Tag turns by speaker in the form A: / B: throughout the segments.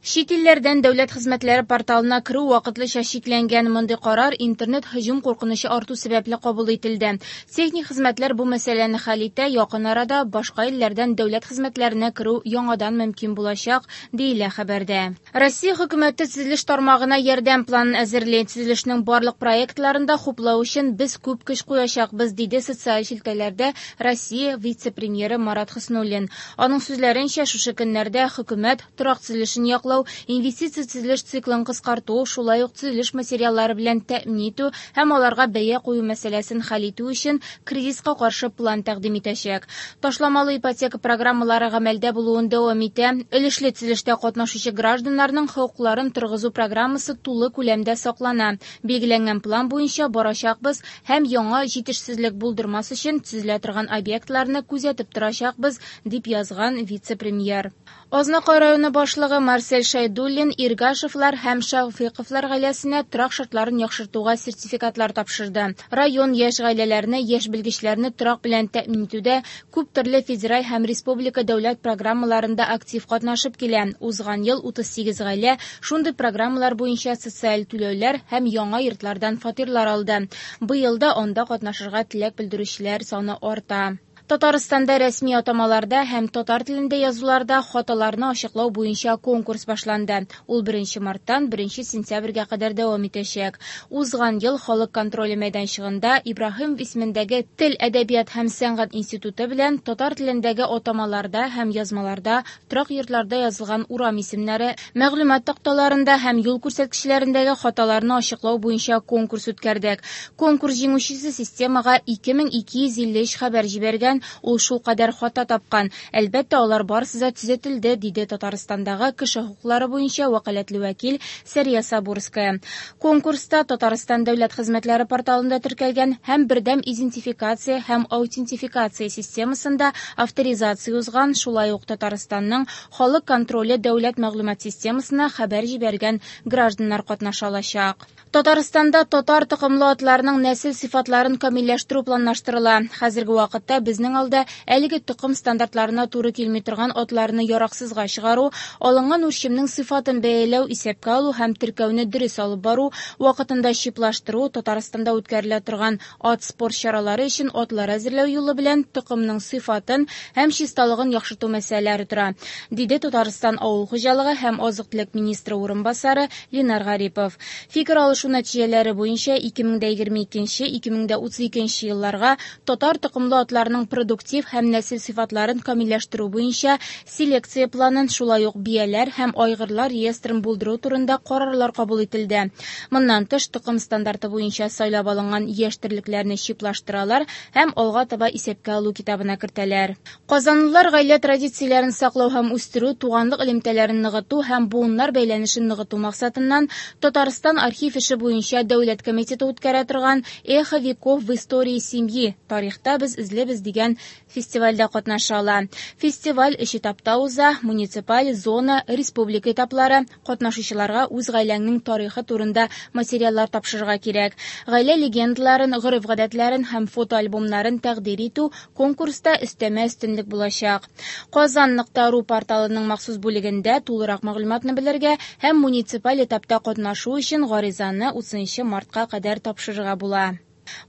A: Чит илләрдән дәүләт хезмәтләре порталына керү вакытлыча чикләнгән. Мондый карар интернет һөҗүм куркынычы арту сәбәпле кабул ителде. Техник хезмәтләр бу мәсьәләне хәл итә, якын арада башка илләрдән дәүләт хезмәтләренә керү яңадан мөмкин булачак, диелә хәбәрдә. Россия хөкүмәте төзелеш тармагына ярдәм планын әзерли. Төзелешнең барлык проектларын да хуплау өчен без күп көч куячакбыз, диде социаль челтәрләрдә Россия вице-премьеры Марат Хөснуллин. Аның сүзләренчә, шушы көннәрдә хөкүмәт торак төзелешен яклау, инвестиция төзелеш циклын кыскарту, шулай ук төзелеш материаллары белән тәэмин итү һәм аларга бәя кую мәсьәләсен хәл итү өчен кризиска каршы план тәкъдим итәчәк. Ташламалы ипотека программалары гамәлдә булуын дәвам итә. Өлешле төзелештә катнашучы гражданнарның хокукларын торгызу программасы тулы күләмдә саклана. Билгеләнгән план буенча барачакбыз һәм яңа җитешсезлек булдырмас өчен төзелә торган объектларны күзәтеп торачакбыз, дип язган вице-премьер. Азнакай районы башлыгы Марсель Шәйдуллин Иргашевлар һәм Шәфыйковлар гаиләсенә торак шартларын яхшыртуга сертификатлар тапшырды. Район яшь гаиләләрне, яшь белгечләрне торак белән тәэмин итүдә күп төрле федераль һәм республика дәүләт программаларында актив катнашып килә. Узган ел 38 гаилә шундый программалар буенча социаль түләүләр һәм яңа йортлардан фатирлар алды. Быел да анда катнашырга теләк белдерүчеләр саны арта. Татарстанда рәсми атамаларда һәм татар телендә язуларда хаталарны ачыклау буенча конкурс башланды. Ул 1 марттан 1 сентябрьгә кадәр дәвам итәчәк. Узган ел халык контроле мәйданчыгында Ибраһимов исемендәге Тел, әдәбият һәм сәнгать институты белән татар телендәге атамаларда һәм язмаларда торак йортларда язылган урам исемнәре, мәгълүмат такталарында һәм юл күрсәткечләрендәге хаталарны ачыклау буенча конкурс үткәрдек. Конкурс җиңүчесе системага 2253 хәбәр җибәргән, ул шул кадәр хата тапкан. Әлбәттә, алар барысы да төзәтелде, диде Татарстандагы кеше хокуклары буенча вәкаләтле вәкил Сәрия Сабурская. Конкурста Татарстан дәүләт хезмәтләре порталында теркәлгән һәм бердәм идентификация һәм аутентификация системасында авторизация узган, шулай ук Татарстанның халык контроле дәүләт мәгълүмат системасына хәбәр җибәргән гражданнар катнаша алачак. Татарстанда татар токымлы атларның нәсел сыйфатларын камилләштерү планлаштырыла. Хәзерге вакытта безнең алда әлеге токым стандартларына туры килми торган атларны яраксызга чыгару, алынган үрчемнең сыйфатын бәяләү, исәпкә алу һәм теркәүне дөрес алып бару, вакытында чиплаштыру, Татарстанда үткәрелә торган ат спорт чаралары өчен атлар әзерләү юлы белән токымның сыйфатын һәм чисталыгын яхшырту мәсьәләләре тора, диде Татарстан авыл хуҗалыгы һәм азык-төлек министры урынбасары Ленар Гарипов. Фикер алышу нәтиҗәләре буенча 2022-2032 елларга татар токымлы атларның продуктив һәм нәсел сыйфатларын камилләштерү буенча селекция планын, шулай ук бияләр һәм айгырлар реестрын булдыру турында карарлар кабул ителде. Моннан тыш, токым стандарты буенча сайлап алынган яшь терлекләрне чиплаштыралар һәм алга таба исәпкә алу китабына кертәләр. Казанлылар гаилә традицияләрен саклау һәм үстерү, туганлык элемтәләрен ныгыту һәм буыннар бәйләнешен ныгыту максатыннан Татарстан архив эше буенча дәүләт комитеты үткәрә торган «Эхо веков в истории семьи» тарихта без эзлебез дигән фестивальдә катнаша ала. Фестиваль өч этапта уза: муниципаль, зона, республика этаплары. Катнашучыларга үз гаиләңнең тарихы турында материаллар тапшырырга кирәк. Гаилә легендаларын, гореф-гадәтләрен һәм фотоальбомнарын тәкъдир итү конкурста өстәмә өстенлек булачак. Казан.ру порталының махсус бүлегендә тулырак мәгълүматны белергә һәм муниципаль этапта катнашу өчен гаризаны 30 мартка кадәр тапшырырга була.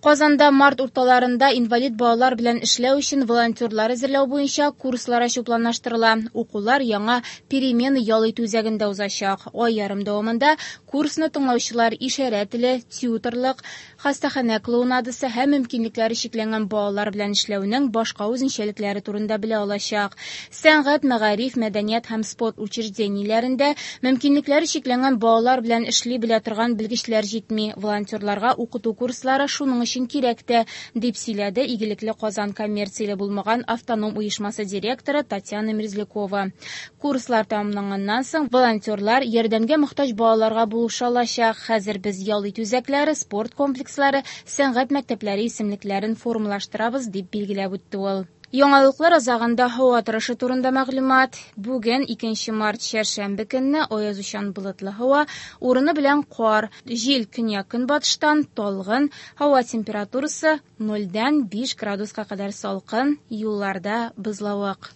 A: Казанда март урталарында инвалид балалар белән эшләү өчен волонтерлар әзерләү буенча курслар ачу планлаштырыла. Укулар яңа Перемены ял итү үзәгендә узачак. Ай ярым дәвамында курсны тыңлаучылар ишарә теле, тьюторлык, хастаханә клоунадасы һәм мөмкинлекләре чикләнгән балалар белән эшләүнең башка үзенчәлекләре турында белә алачак. Сәнгать, мәгариф, мәдәният һәм спорт учреждениеләрендә мөмкинлекләре чикләнгән балалар белән эшли белә торган белгечләр җитми. Волонтерларга укыту курслары шуның өчен кирәк тә, дип сөйләде Игелекле Казан коммерцияле булмаган автоном оешмасы директоры Татьяна Мерзлякова. Курслар тәмамланганнан соң волонтерлар ярдәмгә мохтаҗ балаларга булыша алачак. Хәзер без ял итү үзәкләре, спорт комплекслары, сәнгать мәктәпләре исемлекләрен формалаштырабыз, дип билгеләп үтте ул. Яңалыклар азагында һава торышы турында мәгълүмат. Бүген 2 март чәршәмбе көнне аязучан болытлы һава, урыны белән кар, җил көньяк-көнбатыштан талгын, һава температурасы 0-дән 5 градуска кадәр салкын, юлларда бозлавык.